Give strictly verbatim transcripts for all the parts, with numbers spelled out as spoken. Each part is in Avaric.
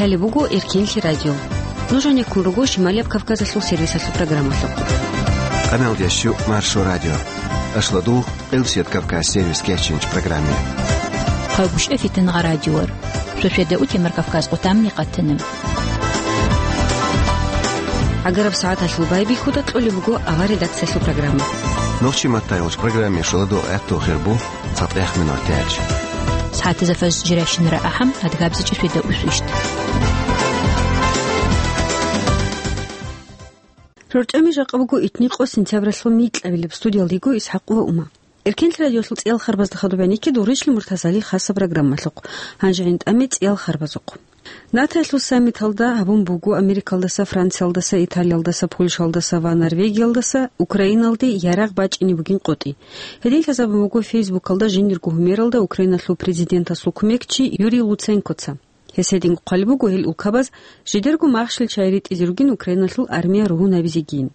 Лъалеб буго Эркенлъи радио. Нуж гьанеккун руго Шималияб Кавказалъул сервисалъул программалъухъ. Къаналдящу Маршо радио. Ашладугъ, Къилсият Кавказ сервис кечинч программе. Хъагушев Фитингъа радиор. Шошеда утемар Кавказ къутамни къатанам. Агараб сагӀаталъул байбихьуда кьолеб буго авар редакциялъул программа. Нохчи маттайгъуч программе шуладу гӀатту хирбу. ЦатӀех минутач. СагӀатазда фажр жирашин рагӀахъам, адгабзичӀеб шуйда усвищ. РорчӀами жакъа буго итни къо сентябралъул микьабилеб, студиялдего ИсхӀакъ ва Ума. Эркенлъи радиолъул цӀиял харбазда хадуб гьанекке дугъричлъи Муртазали хасаб программалъухъ. Гьанже гӀин тӀаме цӀиял харбазухъ. НАТОялъул саммиталда гьабун буго Америкалдаса, Франциялдаса, Италиялдаса, Польшалдаса ва Норвегиялдаса Украиналде ярагъ бачӀине бугин къотӀи. Гьедин лъазабун буго Фейсбукалда жиндирго гьумералда Украиналъул президентасул кумекчи Юрий Луценкоца. Гьес гьединго хъвалеб буго гьел улкабаз жидерго махщел чай ритӀизе ругин Украиналъул армия ругьунабизегийин.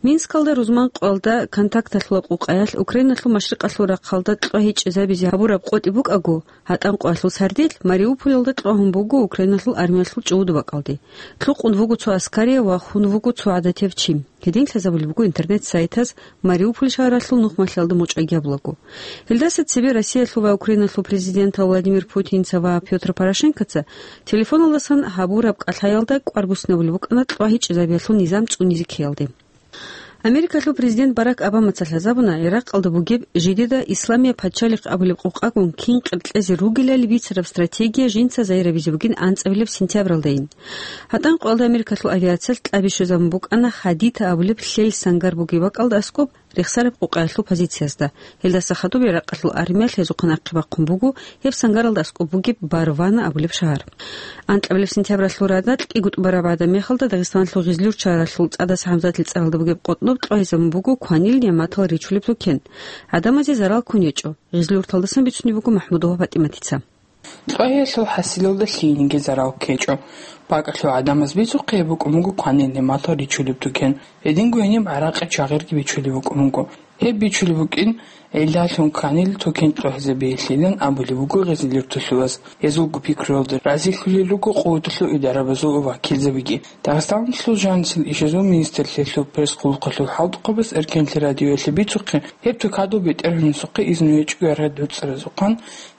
Минскалда рузман къоялда контакталъула къукъаялъ Украиналъул машрикъалъул рахъалда кьвагьичӀезабизе гьабураб къотӀи букӀаго, гьатӀан къоялъул сардилъ Мариуполалда кьвагьун буго Украиналъул армиялъул чӀугӀуду бакӀалде. Кьукъун вуго цо аскарияв ва хун вуго цо гӀадатияв чи. Гьедин лъазабулеб буго интернет-сайтаз Мариуполь шагьаралъул нухмалъиялда мочӀайги абулаго. Гьелдаса цебе Россиялъул ва Украиналъул президентал Владимир Путинца ва Пётр Порошенкоца телефоналдасан гьабураб кӀалъаялда кӀвар буснабулеб букӀана кьвагьичӀезабиялъул низам цӀунизе ккеялде. Америкалъул президент Барак Обамаца лъазабуна Иракъалда бугеб жидеда Исламияб пачалихъ абулеб къукъагун кин къеркьезе ругелали бицараб стратегия жинца загьирабизе бугин анцӀабилеб сентябралдайин. ГьатӀан къоялда Америкалъул авиациялъ кьаби щвезабун букӀана Хадита абулеб лъел сангар бугеб бакӀалда аскӀоб рехсараб къукъаялъул позициязда. Гьелдаса хадуб Иракъалъул армиялъ гьезухъе нахъе бахъун буго гьеб сангаралда аскӀоб бугеб Барвана абулеб шагьар. Анкьабилеб сентябралъул радал кӀиго тӀубараб гӀадаб мехалда Дагъистаналъул Гъизлюрт шагьаралъул ЦӀадаса ХӀамзатил цӀаралда бугеб къотӀноб кьвагьизабун буго кванилни матал ричулеб тукен. ГӀадамазе зарал ккун гьечӀо, Гъизлюрталдасан бицунеб буго МахӀмудова ПатӀиматица. Кьвагьиялъул хӀасилалда лъиениги зарал ккечӀо. БакӀалъул гӀадамаз бицухъе букӀун буго кванилни матал ричулеб тукен. Гьединго гьениб гӀаракъи чагъирги бичулеб букӀун буго. Гьеб бичулеб букӀин гӀиллалъун кванил тукен кьвагьизабиялъилан абулеб буго гъизлюрталъулаз. Гьезулго пикруялда разилъулел руго къуваталъул идарабазул вакилзабиги. Дагъистаналъул жанисел ишазул министрлъиялъул пресс-къуллукъалъул хӀалтӀухъабаз Эркенлъи радиоялъе бицухъе, гьеб тукадул бетӀергьанасухъе изну гьечӀого яргъи доцӀаразухъан,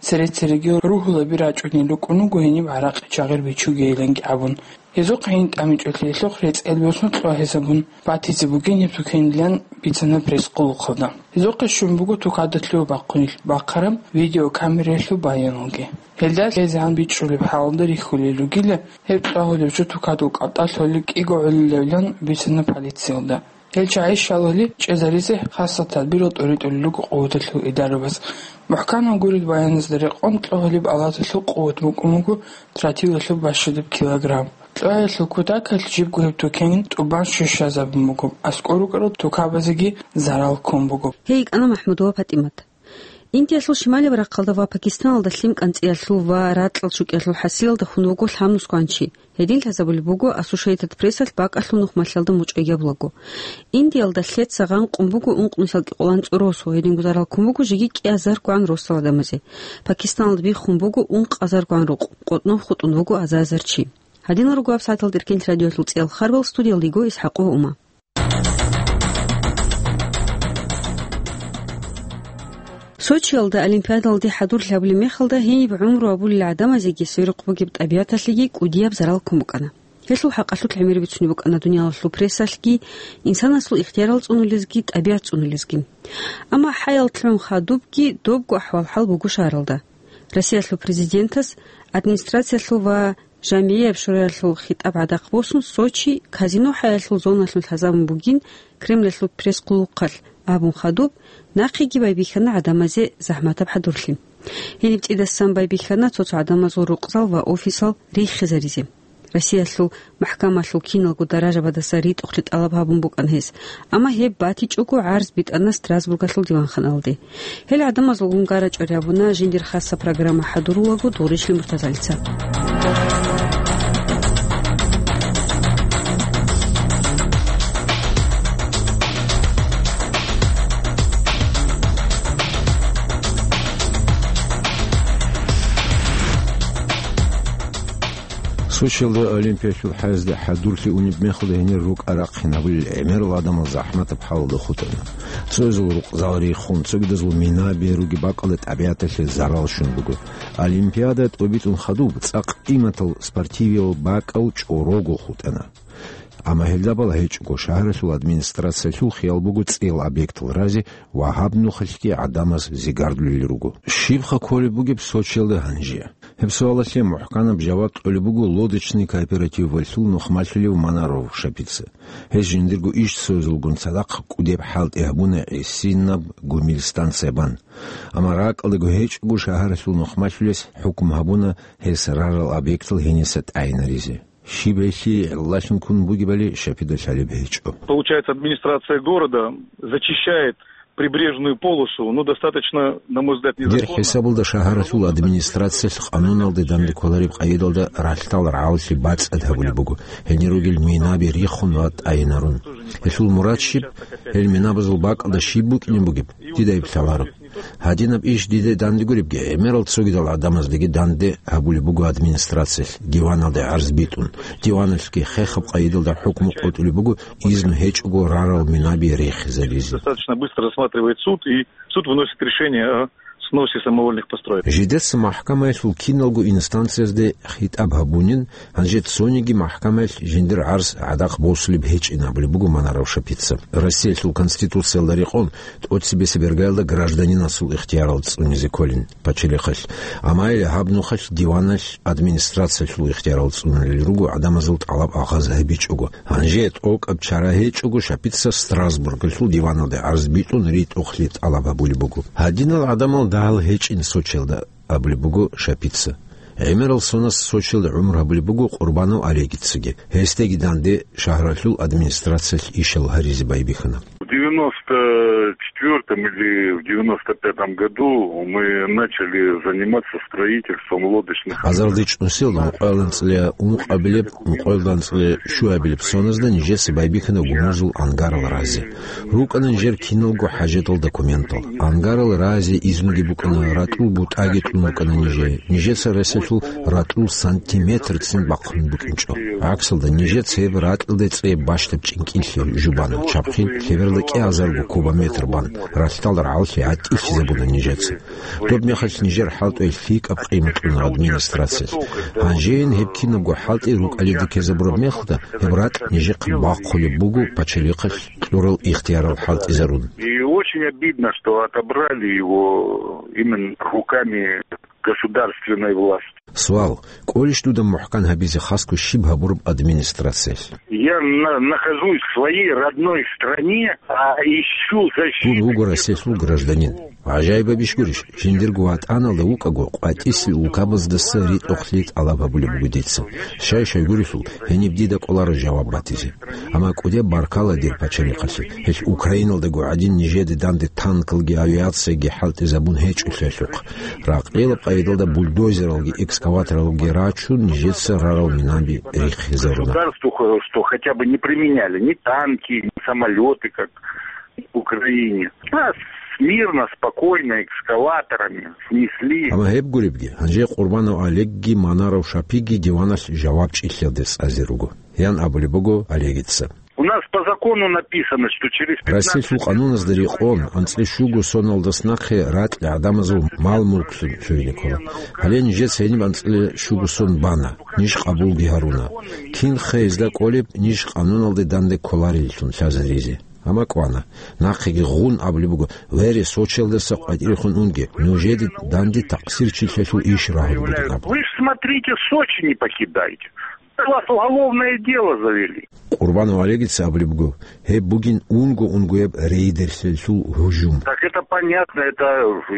цере-цереги ругьулаби рачӀунел рукӀун руго гьениб гӀаракъи чагъир бичугейиланги абун. Гьезухъ гьениб тӀамичӀолъиялъухъ рецӀел босун кьвагьизабун батизе бугин гьеб тукенилан бицана пресс-къуллукъалда. Гьезухъе щун буго тукадалъув бахъунилъ бахъараб видеокамераялъул баяналги. Гьелда лъезегӀан бичӀчӀулеб хӀалалда рихьулел ругила, гьеб кьвагьулев жо тукадул кӀалтӀа лъолеб кӀиго гӀолилавилан бицана полициялда. Гьел чагӀи щалали чӀезаризе хасаб тадбирал тӀуритӀулел руго къуваталъул идарабаз. МухӀканаб гурел баяназда рекъон кьвагьулеб алаталъул къуват букӀун буго тротилалъул бащадаб килограмм. Кьвагьиялъул кутакалъ жибго гьеб тукен тӀубан щущазабун буго, аскӀор рукӀарал тукабазеги зарал ккун буго. Гьей йикӀана МахӀмудова ПатӀимат. Индиялъул шималияб рахъалда ва Пакистаналда лъим кӀанцӀиялъул ва ракьал чӀукӀиялъул хӀасилалда хун вуго лъабнусгоан чи. Гьедин лъазабулеб буго Associated Press-алъ бакӀалъул нухмалъиялда мучӀайги абулаго. Индиялда лъеца гъанкъун буго ункънусиялда кӀикъоялда анцӀу росу, гьединго зарал ккун буго жеги кӀиазар гван росал гӀадамазе. Пакистаналда биххун буго ункъазар гван рукъ, къотӀнов хутӀун вуго азар-азар чи. Гьадинал руго гьабсагӀаталда Эркенлъи радиоялъул цӀиял харбал, студиялда йиго ИсхӀакъ ва Ума. Сочиялда Олимпиадалде хӀадурлъи гьабулеб мехалда гьениб гӀумру гьабулел гӀадамазеги сверухъ бугеб тӀабигӀаталъеги кӀудияб зарал ккун букӀана. Гьелъул хӀакъалъулъ гӀемер бицунеб букӀана дуниялалъул прессалъги, инсанасул ихтиярал цӀунулезги, тӀабигӀат цӀунулезги. Амма хӀаял лъун хадубги добго ахӀвал-хӀал буго шагьаралда. Россиялъул президентас администрациялъул ва жамгӀияб шураялъул хитӀаб гӀадахъ босун, Сочи казино хӀаялъул зоналъун лъазабун бугин Кремльалъул пресс-къуллукъалъ абун хадуб, нахъеги байбихьана гӀадамазе захӀматаб хӀадурлъи. Гьениб цӀидасан байбихьана цо-цо гӀадамазул рукъзал ва офисал риххизаризе. Россиялъул махӀкамалъул киналго даражабадаса ритӀухълъи тӀалаб гьабун букӀана гьес, амма гьеб батичӀого гӀарз битӀана Страсбургалъул диванханалде. Гьел гӀадамазул гунгарачӀори абуна жиндир хасаб программа хӀадурулаго Дуришли Муртазалица. Сочиялда Олимпиялъул хӀезде хӀадурлъи унеб мехалда гьенир рукӀа-рахъин гьабулел гӀемерал гӀадамал захӀматаб хӀалалда хутӀана. Цоязул рукъзал риххун, цогидазул минаби ругеб бакӀалда тӀабигӀаталъе зарал щун буго. Олимпиада тӀобитӀун хадуб цӀакъ къиматал спортивиял бакӀал чӀорого хутӀана. Амма гьелдабал гьечӀого шагьаралъул администрациялъул хиял буго цӀеял объектал разе ва гьаб нухалъги гӀадамаз зигардулел руго. Щибха кколеб бугеб Сочиялда гьанже? Гьеб суалалъе мухӀканаб жаваб кьолеб буго лодочный кооперативалъул нухмалъулев Манаров Шапица. Гьес жиндирго иш цоязулгун цадахъ кӀудеб хӀалтӀи гьабуна гӀисинаб гумил станция бан. Амма ракӀалдаго гьечӀого шагьаралъул нухмалъулес хӀукму гьабуна гьес рарал объектал гьениса тӀагӀинаризе. Щиб гьелъие гӀиллалъун ккун бугебали Шапида лъалеб гьечӀо. Получается, администрация города зачищает прибрежную полосу, ну, достаточно, на мой взгляд, незаконно. Дир хӀисабалда шагьаралъул администрациялъ къануналде данде кколареб къайдалда ралъдал рагӀаллъи бацӀцӀад гьабулеб буго, гьенир ругел минаби риххун ва тӀагӀинарун. Гьелъул мурад щиб? Гьел минабазул бакӀалда щиб букӀине бугеб? Дида гьеб лъаларо. Гьадинаб иш дида данде гуребги, гӀемерал цогидал гӀадамаздаги данде гьабулеб буго администрациялъ, диваналде гӀарз битӀун. Диваналъги хехаб къайдалда хӀукму къотӀулеб буго, изну гьечӀого рарал минаби рихизаризе. Достаточно быстро рассматривает суд, и суд выносит решение о сносе самовольных построек. Жидеца махӀкамаялъул киналго инстанциязде хитӀаб гьабунин, гьанже цониги махӀкамаялъ жиндир гӀарз гӀадахъ босулеб гьечӀин абулеб буго Манаров Шапица. Россиялъул Конституциялда рекъон, тӀоцебесеб иргаялда гражданинасул ихтиярал цӀунизе кколин пачалихъалъ. Амма гьаб нухалъ диваналъ администрациялъул ихтиярал цӀунулел руго гӀадамазул тӀалаб агъаз гьабичӀого. Гьанже тӀокӀаб чара гьечӀого Шапица Страсбургалъул диваналде гӀарз битӀун ритӀухълъи тӀалаб гьабулеб буго. Гьадинал гӀадамал дагьал гьечӀин Сочиялда, абулеб буго Шапица. ГӀемерал сонас Сочиялда гӀумру гьабулеб буго Къурбанов Олегицаги. Гьесдаги данде шагьаралъул администрациялъ ишал гьаризе байбихьана. В девяносто четвёртом или в девяносто пятом году мы начали заниматься строительством лодочных. Азарде чӀунсел ункъоялда анцӀила ункъабилеб, ункъоялда анцӀила щуабилеб соназда нижеца байбихьана гумузул ангарал разе. РукӀана нижер киналго хӀажатал документал. Ангарал разе изнуги букӀана, ратӀул бутӀаги тӀун букӀана нижее. Нижеца ресалъул ратӀул сантиметрцин бахъун букӀинчӀо. ГӀаксалда, нижеца гьеб ратӀалда цӀе бащдаб чӀинкӀиллъи жубана, чабхъин лъеберда кӀиазарго кубометр бан, ралъдал рагӀаллъи гӀатӀилъизабуна нижеца. Доб мехалъ нижер хӀалтӀуе лъикӀаб къимат кьуна администрациялъ. Гьанжейин гьеб кинабго хӀалтӀи рукӀалида ккезабураб мехалда, гьеб ратӀ нижехъе бахъулеб буго пачалихъалъ кьурал ихтиярал хӀалтӀизарун. И очень обидно, что отобрали его именно руками государственной власти. Суал: кӀолищ дуда мухӀкан гьабизе хасго щиб гьабураб администрациялъ? Я на-, нахожусь в своей родной стране, а ищу защиты. Дун вуго Россиялъул гражданин. ГӀажаибабищ гурищ, жиндирго ватӀаналда вукӀаго, къватӀисел улкабаздаса ритӀухълъи тӀалаб гьабулеб буго дица. Щай-щай гурелъул, гьениб дида кӀоларо жаваб батизе. Амма кӀудеб баркала дир пачалихъалъе, гьелъ Украиналдаго гӀадин нижеде данде танкалги авиацияги хӀалтӀизабун гьечӀолъиялъухъ. Ракъилаб къайдалда бульдозералги экскаваторалги рачун, нижеца рарал минаби риххизаруна. Государству, хо-, что хотя бы не применяли ни танки, ни самолёты, как в Украине. Нас мирно, спокойно, экскаваторами снесли. Амма гьеб гуребги, гьанже Къурбанов Олегги Манаров Шапиги диваналъ жавабчӀиллъиялде цӀазе руго, ян абулеб буго Олегица. У нас по закону написано, что через пятнадцать... Россиялъул къануназда рекъон, анцӀила щуго соналдас нахъе ракьи гӀадамазул мал-мулклъун лъугьине ккола. Гьале нижеца гьениб анцӀила щуго сон бана, ниж къабулги гьаруна. Кинха гьезда кӀолеб ниж къануналде данде кколареллъун лъазаризе? Амма кӀвана. Нахъеги гъун абулеб буго: «Вере, Сочиялдаса къватӀирехун унге, нужеде данде такъсирчилъиялъул иш рагьун бугин», — абун. Вы ж смотрите, Сочи не покидайте. На вас уголовное дело завели. Къурбанов Олегица абулеб буго: «Гьеб бугин унго-унгояб рейдерлъиялъул гьужум». Так это понятно, это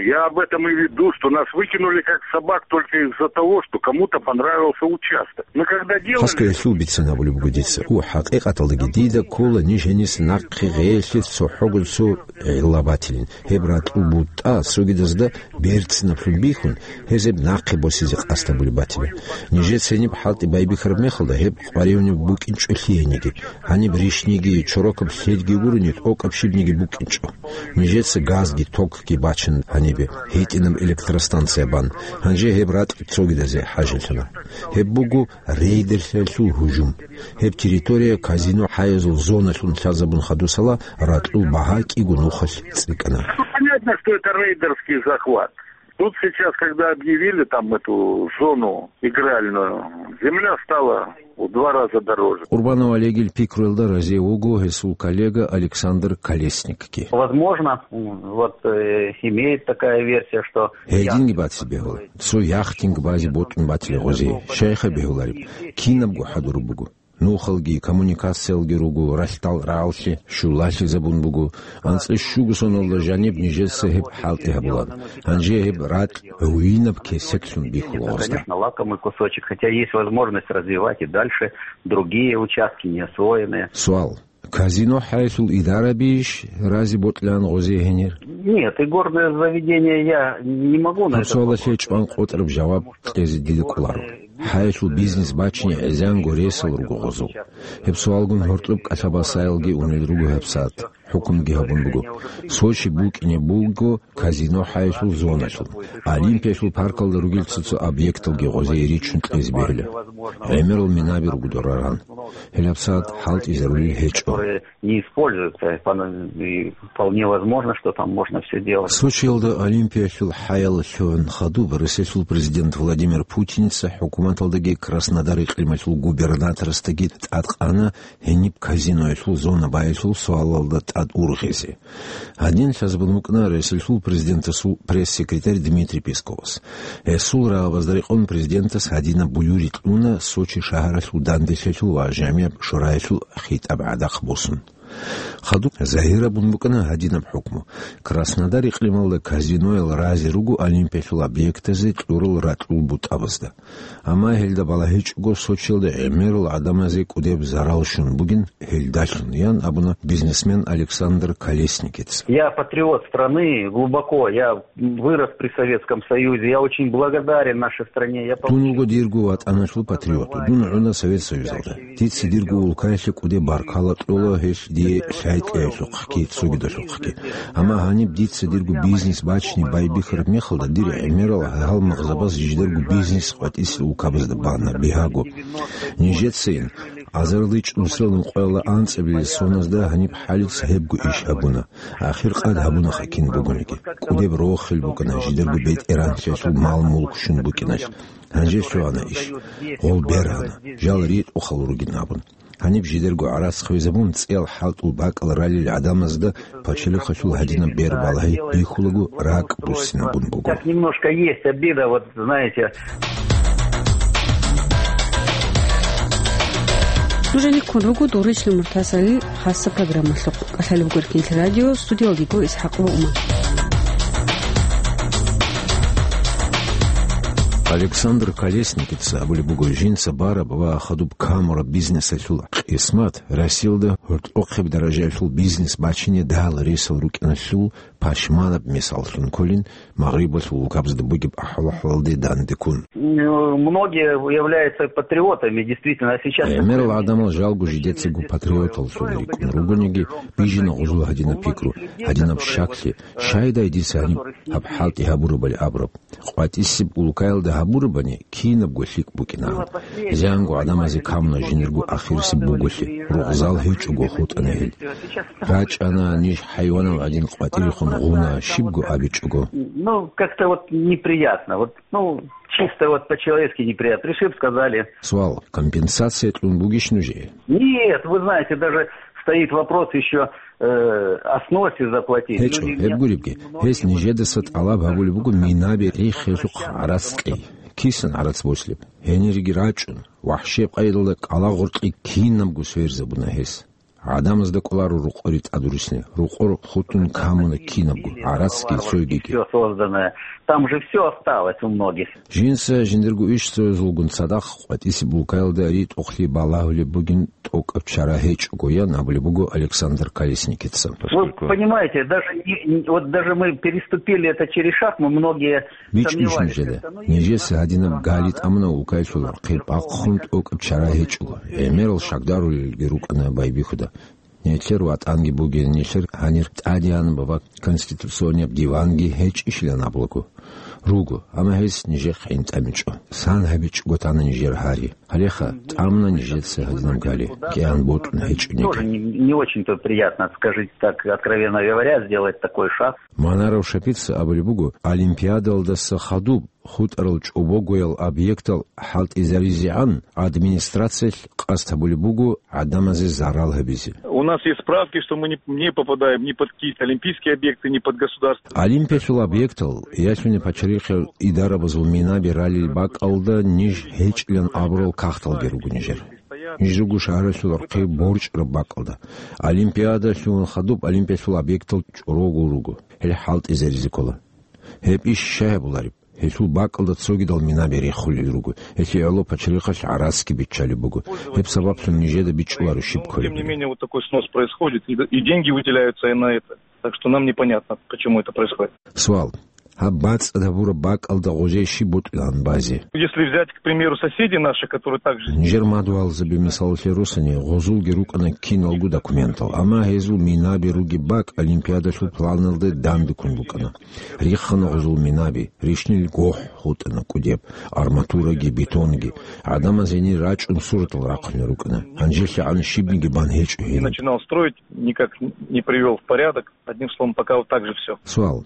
я об этом и веду, что нас выкинули как собак только из-за того, что кому-то понравился участок. Мы когда делали... Хасго гьелъул бицин абулеб буго дица. У, хӀакъикъаталдаги дида ккола ниж гьениса нахъе гъеелъе цохӀого цо гӀилла батилин. Гьеб ратӀул бутӀа цогидазда берцинаблъун бихьун, гьез гьеб нахъе босизе къасд гьабулеб батила. Нижеца гьениб хӀалтӀи байбихьараб Халда гьеб къваригӀунеб букӀинчӀо лъиениги, гьаниб рищниги, чорокаб лъелги гурони, тӀокӀаб щибниги букӀинчӀо. Нижеца газги токги бачун гьанибе, гьитӀинаб электростанция бан. Гьанже гьеб ратӀ цогидазе хӀажалъана. Гьеб буго рейдерлъиялъул гьужум. Гьеб территория казино хӀаязул зоналъун лъазабун хадусала ракьул багьа кӀиго нухалъ цӀикӀкӀана. Понятно, что это рейдерский захват. Тут сейчас, когда объявили там эту зону игральную, земля стала в два раза дороже. Къурбанов Олегил пикруялда разие вуго гьесул коллега Александр Колесникги. Возможно, м, вот, э, имеет такая версия, что Гьединги баци бегьула. Цо яхтинг бази бутӀун батили гъози. Щайха бегьулареб? Кинабго хӀадураб буго. Нухалги, коммуникациялги руго, ралъдал рагӀаллъи щулалъизабун буго. АнцӀила щуго соналда жаниб нижеца гьеб хӀалтӀи гьабулан. Гьанже гьеб ракь гӀуинаб кесеклъун бихьула гъозда. Конечно, лакомый кусочек, хотя есть возможность развивать и дальше другие участки, не освоенные. Суал. Казино хӀаялъул идарабищ рази бокьилан гъозе гьенир? Нет, игорное заведение я не могу на Гьаб этот суалалъе вопрос чӀван къотӀараб жаваб кьезе дида кӀоларо. ХӀаялъул бизнес бачине гӀезанго ресал руго гъозул. Гьеб суалгун гьоркьоб кӀалъабасаялги унел руго гьабсагӀат. ХӀукмуги гьабун буго. Сочи букӀине буго казино хӀаялъул зоналъул. Олимпиялъул паркалда ругел цо-цо объекталги гъозие ричун кьезе бегьула. ГӀемерал минаби руго дораран. ГьелабсагӀат хӀалтӀизарулел гьечӀо. Не используются, и вполне возможно, что там можно всё делать. Сочиялда Олимпиялъул хӀаялалъуван хадуб Россиялъул президент Владимир Путиница хӀукуматалдаги Краснодар икълималъул губернаторасдаги тӀадкъана гьениб казиноялъул зона байялъул суалалда тӀад ургъизе. Гьадин лъазабун букӀана Россиялъул президентасул пресс-секретарь Дмитрий Песковас. Гьесул рагӀабазда рекъон президентас гьадинаб буюрикь уна Сочи шагьаралъул данделъиялъул ва жамигӀаб шураялъул хитӀаб гӀадахъ босун. Хадуб загьирабун букӀана гьадинаб хӀукму. Краснодар икълималда казиноял рази руго Олимпиялъул объектазе кьурал ракьул бутӀабазда. Амма гьелда балагьичӀого Сочиялда гӀемерал гӀадамазе кӀудеб зарал щун бугин гьелдалъун, ян абуна бизнесмен Александр Колесникица. Я патриот страны глубоко, я вырос при Советском Союзе, я очень благодарен нашей стране. Я Дун получил вуго дирго ватӀаналъул патриот. Дун гӀуна Совет Союзалда. Дица дирго улкаялъе кӀудеб баркала кьола гьелъ дие лъай кьеялъухъги, цогидалъухъги. Амма гьаниб дица дирго бизнес бачине байбихьараб мехалда, дир гӀемерал гьалмагъзабаз жидерго бизнес къватӀисел улкабазда бана бигьаго. Нижецайин, азариличӀ нусилан къояла анцӀабилел соназда гьаниб хӀалица гьебго иш гьабуна. Ахир къад гьабунаха кин бугониги. КӀудеб рохел букӀана жидерго бетӀергьанлъиялъул мал-мулк щун букӀиналъ. Гьанже лъугьана иш. Гъол бергьана. Жал ритӀухъал ругин абун. Гьаниб жидерго гӀарац хвезабун, цӀиял хӀалтӀул бакӀал ралел гӀадамазда пачалихъалъул гьадинаб бер балагьи бихьулаго ракӀ буссинабун буго. Так немножко есть обида, вот, знаете. Нужениккун руго Доричил Муртазалил хасса программалъухъ. КӀалъалеб гуркин радио, студиялдего ИсхӀакъова Умар. Александр Колесникица абулеб буго жинца бараб ва хадуб камураб бизнесалъул къисмат Россиялда гьоркьохъеб даражаялъул бизнес бачине дала ресал рукӀиналъул пашманаб мисаллъун кколин, Магърибалъул улкабазда бугеб ахӀвал-ахӀвалалде дандеккун. Многие являются патриотами, действительно, а сейчас ГӀемерал гӀадамал жалго жидецаго патриоталлъун рикӀкӀун ругониги, бижина гъузул гьадинаб пикру, гьадинаб щаклъи, щайдай дица гьаниб гьаб хӀалтӀи гьабурабали абураб. КъватӀисеб улкаялда гьабурабани, кинабго лъикӀ букӀина. Зянго гӀадамазе камуна жинирго ахирисеб буголъи, ругъзал гьечӀого хутӀана гьел. РачӀана ниж хӀайванал гӀадин къватӀирехун гъуна, щибго абичӀого. Ну, как-то вот неприятно. Вот, ну, чисто вот по-человечески неприятно. Пришиб, сказали. Суал: компенсация кьун бугищ нужее? Нет, вы знаете, даже стоит вопрос ещё, э, о сносе заплатить. ГьечӀо, гьеб гуребги, гьес нижедаса тӀалаб гьабулеб буго минаби риххелъухъ гӀарац кьей. Кисан гӀарац бослеб? Гьениреги рачӀун, вахӀшеб къайдалда кӀалагъоркье кинабго сверзабуна гьес. ГӀадамазда кӀоларо рукъори тӀадурисни. Рукъор хутӀун камуна кинабго, гӀарацги, цойгиги. Всё созданное. Там же всё осталось у многих. Жинца жиндирго иш цоязулгун цадахъ къватӀисе булкаялда ритӀухълъи балагьулеб бугин тӀокӀаб чара гьечӀого, ян абулеб буго Александр Колесникица. Вы понимаете, даже не, не, вот даже мы переступили это через шаг, мы многие сомневались, как-то, ну, есть у нас... БичӀчӀищ нужеда. Нижеца гьадинаб гали тӀамуна улкаялъул рахъи бахъун тӀокӀаб чара гьечӀого. ГӀемерал шагдарулелги рукӀана Байбихьуда. Нилъер ВатӀанги бугин, нилъер гьанир тӀадегӀанаб ва конституционияб диванги гьечӀищилан абулаго. Руго, амма гьес нижехъ гӀинтӀамичӀо. Сан гьабичӀого тана нижер гьари. Гьалеха, тӀамуна нижеца гьадинаб гали, кӀиан бутӀун гьечӀониги. Тоже не, не очень-то приятно, скажите так, откровенно говоря, сделать такой шаг. Манаров Шапица абулеб буго, Олимпиадалдаса хадуб хутӀарал чӀобогоял объектал хӀалтӀизаризегӀан администрациялъ къасд гьабулеб буго гӀадамазе зарал гьабизе. У нас есть справки, что мы не, не попадаем ни под какие-то олимпийские объекты, ни под государственные. Олимпиялъул объектал, ялъуни пачарихъал идарабазул минаби ралел бакӀалда ниж гьечӀилан абурал кагъталги руго нижер. Ниж руго шагьаралъул рахъи борчӀараб бакӀалда. Олимпиадалъуван хадуб Олимпиялъул объектал чӀорогул руго. Гьел хӀалтӀизаризе ккола. Гьеб иш щай гьабулареб? Гьелъул бакӀалда цогидал минаби рехулел руго. Гьелъие гӀоло пачарихъалъ гӀарацги биччалеб буго. Гьеб сабаблъун нижеда бичӀчӀуларо щиб кколебали. Тем не менее, вот такой снос происходит, и, и деньги выделяются и на это. Так что нам непонятно, почему это происходит. Суал. Гьаб бацӀцӀад гьабураб бакӀалда гъозей щиб бутӀилан базе? Если взять, к примеру, соседей наших, которые также... Нижер мадугьалзаби мисалалъе росани, гъозулги рукӀана киналго документал, амма гьезул минаби ругеб бакӀ Олимпиадалъул планалда дандеккун букӀана. Риххана гъозул минаби, рищнил гохӀ хутӀана кӀудеб, арматураги, бетонги. ГӀадамаз гьенир рачӀун суратал рахъунел рукӀана. ГьанжелъагӀан щибниги бан гьечӀо гьениб. Начинал строить, никак не привёл в порядок. Одним словом, пока вот так же всё. Суал.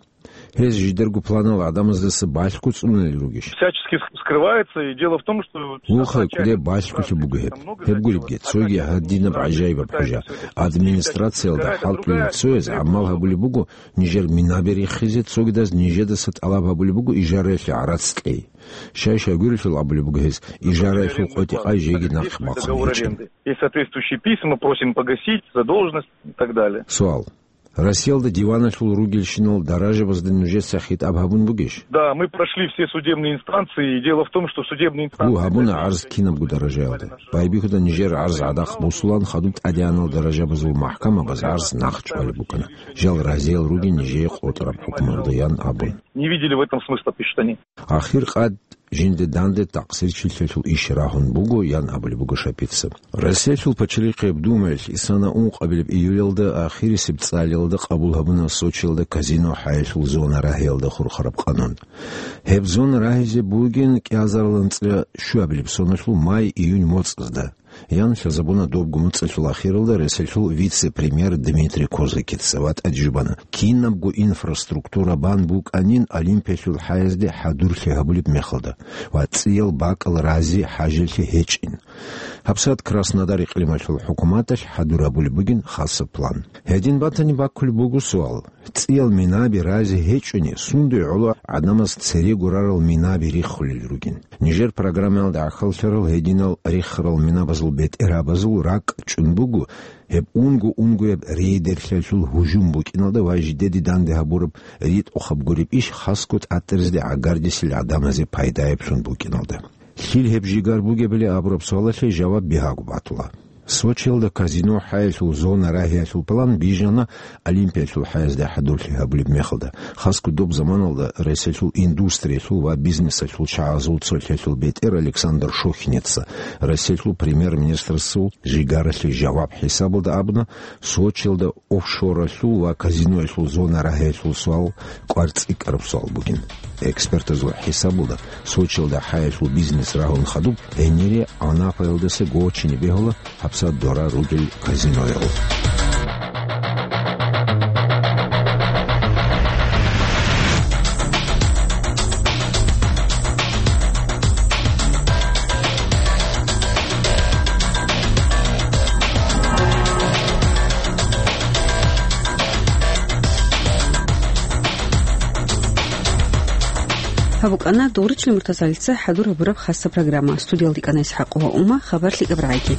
Гьез жидерго планал гӀадамаздаса балъго цӀунулел ругищ? Всячески ск-, скрывается, и дело в том, что... Вуха, кӀудеб балъголъи буго гьеб. Гьеб гуребги, цоги гьадинаб гӀажаибаб хӀужа. Администрациялда хӀалтӀулел цояз гӀамал гьабулеб буго, нижер минаби рихизе, цогидаз нижедаса тӀалаб гьабулеб буго ижараялъе гӀарац кьей. Щай-щай гурелъул абулеб буго гьез, ижараялъул къотӀи-къай жеги нахъ бахъун гьечӀин. Есть соответствующие письма, просим погасить задолженность и так далее. Суал. Россиялда диваналъул ругелщинал даражабазда нужеца хитӀаб гьабун бугищ? Да, мы прошли все судебные инстанции, и дело в том, что судебные инстанции... Гу, гьабуна гӀарз кинабго даражаялда. Байбихьуда нижер гӀарз гӀадахъ босулан, хадуб тӀадегӀанал даражабазул махкамабаз гӀарз нахъ чӀвалеб букӀана. Жал разиял ругин нижее къотӀараб хӀукмуялда, ян абун. Не видели в этом смысла, пишут они. Ахир къад жинда данде такъсирчилъиялъул иш рагьун буго, ян абулеб буго Шапица. Россиялъул пачалихъияб Думаялъ исана ункъабилеб июлялда ахирисеб цӀалиялда къабул гьабуна Сочиялда казино хӀаялъул зона рагьиялда хурхараб къанун. Гьеб зона рагьизе бугин кӀиазарилан цӀа щуабилеб соналъул май-июнь моцӀазда. Ян лъазабуна добго моцӀалъул ахиралда Россиялъул вице-премьер Дмитрий Козакица ва тӀадежубана, кинабго инфраструктура бан букӀанин Олимпиялъул хӀаязде хӀадурлъи гьабулеб мехалда ва цӀиял бакӀал рази хӀажалъи гьечӀин. ГьабсагӀат Краснодар икълималъул хӀукуматалъ хӀадур гьабулеб бугин хасаб план. Гьедин батани баккулеб буго суал. ЦӀиял минаби рази гьечӀони, сундуе гӀоло гӀадамаз цере гурарал минаби риххулел ругин. Нижер программаялда гӀахьаллъарал гьединал риххарал минабазул бетӀерабазул ракӀ чӀун буго, гьеб унго-унгояб рейдерлъиялъул гьужум букӀиналда ва жидеде данде гьабураб ритӀухъаб гуреб иш хасго тӀатӀаразде гӀагардисел гӀадамазе пайдаяб лъун букӀиналда. Лъил гьеб жигар бугебали абураб суалалъе жаваб бигьаго батула. Сочиялда казино хӀаялъул зона рагьиялъул план бижана Олимпиялъул хӀаязде хӀадурлъи гьабулеб мехалда. Хасго доб заманалда Россиялъул индустриялъул ва бизнесалъул чагӀазул цолъиялъул бетӀер Александр Шохиница Россиялъул премьер-министрасул жигаралъе жаваб хӀисабалда абуна, Сочиялда офшоралъул ва казиноялъул зона рагьиялъул суал кӀвар цӀикӀкӀараб суал бугин. Экспертазул хӀисабалда, Сочиялда хӀаялъул бизнес рагьун хадуб, гьенире Анапаялдаса гочине бегьула гьабсагӀат дора ругел казинояв. Гьаб букӀана Дугъричлъи Муртазалица хӀадур гьабураб хасаб программа. Студиялда кӀана ИсхӀакъова Ума, хабар лъикӀаб рагӀиги.